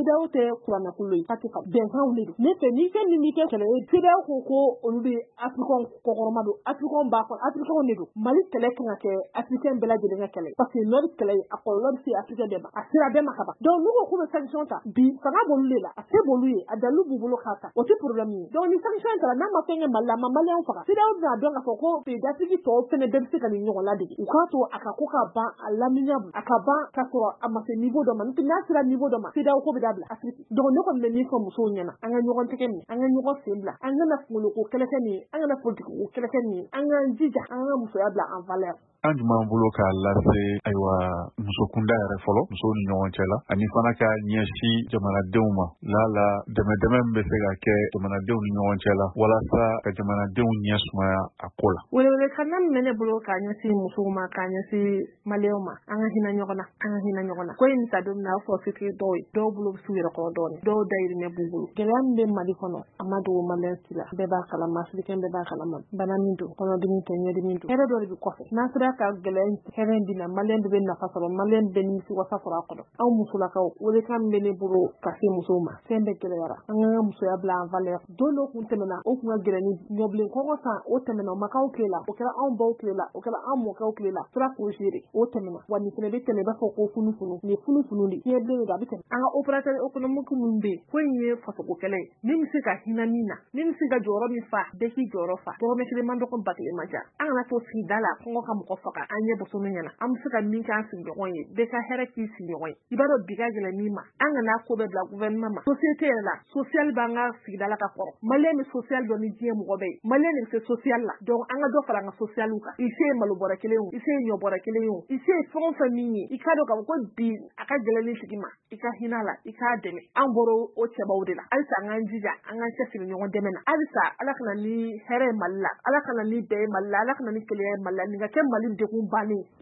CEDEAO tɛ kuranɛkulu ye, fatiha bɛnkanw de don. Ne fɛ, ni fɛn min b'i kɛ kɛlɛ ye, CEDEAO ko olu bɛ Africain kɔkɔrɔma don, Africain b'a kɔnɔ, Africain de don. Mali kɛlɛ kan ka kɛ Africain bɛɛ lajɛlen ka kɛlɛ, parce que Nord kɛlɛ, a kɔlɔlɔ bɛ se Africain bɛɛ ma, a sera bɛɛ ma ka ban. Donc n'u ko k'u bɛ sanction ta bi, fanga b'olu de la, a se b'olu ye, a dalilu b'u bolo k'a ta, o tɛ problème ye. Donc ni sanction tara, n'a ma fɛn kɛ Mali la, a ma Maliyɛnw faga, CEDEAO bɛna dɔn k'a fɔ ko pays d'Afrique tɔw fɛnɛ bɛɛ bɛ se ka nin ɲɔgɔn ladege. U k'a to a ka ko ka ban a laminiya, a ka ban ka sɔrɔ a ma se niveau dɔ ma. N'o tɛ, n'a sera niveau dɔ ma, CEDEAO ko bɛ dabila Afrique. Donc ne kɔni bɛ min fɔ musow ɲɛna, an ka ɲɔgɔn tɛgɛ minɛ, an ka ɲɔgɔn sen bila, an kana kunkoloko kɛlɛkɛ nin ye, an kana politiki ko kɛlɛkɛ nin ye, an k'an jija an ka musoya bila en valeur. An jumɛn b'an bolo k'a lase, ayiwa, muso kunda yɛrɛ fɔlɔ, musow ni ɲɔgɔn cɛ la, ani fana ka ɲɛsin jamanadenw ma, lala dɛmɛ dɛmɛ min bɛ se ka kɛ jamanadenw ni ɲɔgɔn cɛ la walasa ka jamanadenw ɲɛ sumaya a ko la? Welewelekan min bɛ ne bolo k'a ɲɛsin musow ma, k'a ɲɛsin Maliyɛnw ma, an ka hinɛ ɲɔgɔn na, an ka hinɛ ɲɔgɔn na. Ko in ta don min na, a fɔ fitiri dɔw ye, dɔw bolo bɛ s'u yɛrɛ kɔrɔ dɔɔnin, dɔw dayirimɛ b'u bolo. Gɛlɛya min bɛ Mali kɔnɔ, a ma dogo Maliyɛn si la, bɛɛ b'a kalama, Africain bɛɛ b'a kalama. Bana min don, kɔnɔdimi tɛ, ɲɛdimi don, hɛrɛ dɔ de bɛ kɔfɛ. N'an sera ka gɛlɛya hɛrɛ in na, Maliyɛn bɛɛ bɛ nafa sɔrɔ, Maliyɛn bɛɛ nimisi wasa sɔrɔ a kɔnɔ. Anw musolakaw, welekan min bɛ ne bolo ka se musow ma, fɛn bɛɛ gɛlɛyara, an k'an ka musoya bila en valeur. Don dɔ kun tɛmɛna, o kun ka gɛlɛn ni ɲɔbilen kɔngɔ san, o tɛmɛna, o ma k'aw tile la, o kɛra anw baw tile la, o kɛra an mɔkɛw tile la, sera k'o gérer, o tɛmɛna. Wa nin fɛnɛ bɛ tɛmɛ, i b'a fɔ ko funu funu, nin ye funu funu de, fiɲɛ bilen don, a bɛ tɛmɛ. An ka opérateur économique minnu bɛ yen, ko in ye fasoko kɛlɛ ye, min bɛ se ka hinɛ min na, min bɛ se ka jɔyɔrɔ min fa, bɛɛ k'i jɔyɔrɔ fa. Dɔrɔmɛ kelen man dɔgɔ, ba kelen man ca. An kana to sigida la kɔngɔ ka mɔgɔ faga an ɲɛ boso min ɲɛna. An bɛ se ka min kɛ an sigiɲɔgɔn ye, bɛɛ ka hɛrɛ k'i sigiɲɔgɔn ye. I b'a dɔn bi ka gɛlɛn min ma, an kana ko bɛɛ bila gouvernement ma. Société yɛrɛ la, social b'an ka sigida la ka kɔrɔ. Maliyɛn bɛ social dɔn ni diɲɛ mɔgɔ bɛɛ ye, Maliyɛn de bɛ se social la. Donc an ka dɔ fara an ka social kan. I se ye malo bɔrɛ kelen o, i se ye ɲɔ bɔrɛ kelen ye o, i se ye fɛn o fɛn min ye, i k'a dɔn k'a fɔ ko bi a ka gɛlɛn ni tigi ma, i ka hinɛ a la, i k'a dɛmɛ. An bɔra o cɛbaw de la. Halisa an k'an jija, an k'an cɛsiri ɲɔgɔn dɛmɛ na. Halisa Ala kana ni hɛrɛ ye Mali la, Ala kana ni bɛn ye Mali la, Ala kana ni kelenya ye Mali la, nin ka kɛ Mali degun bannen.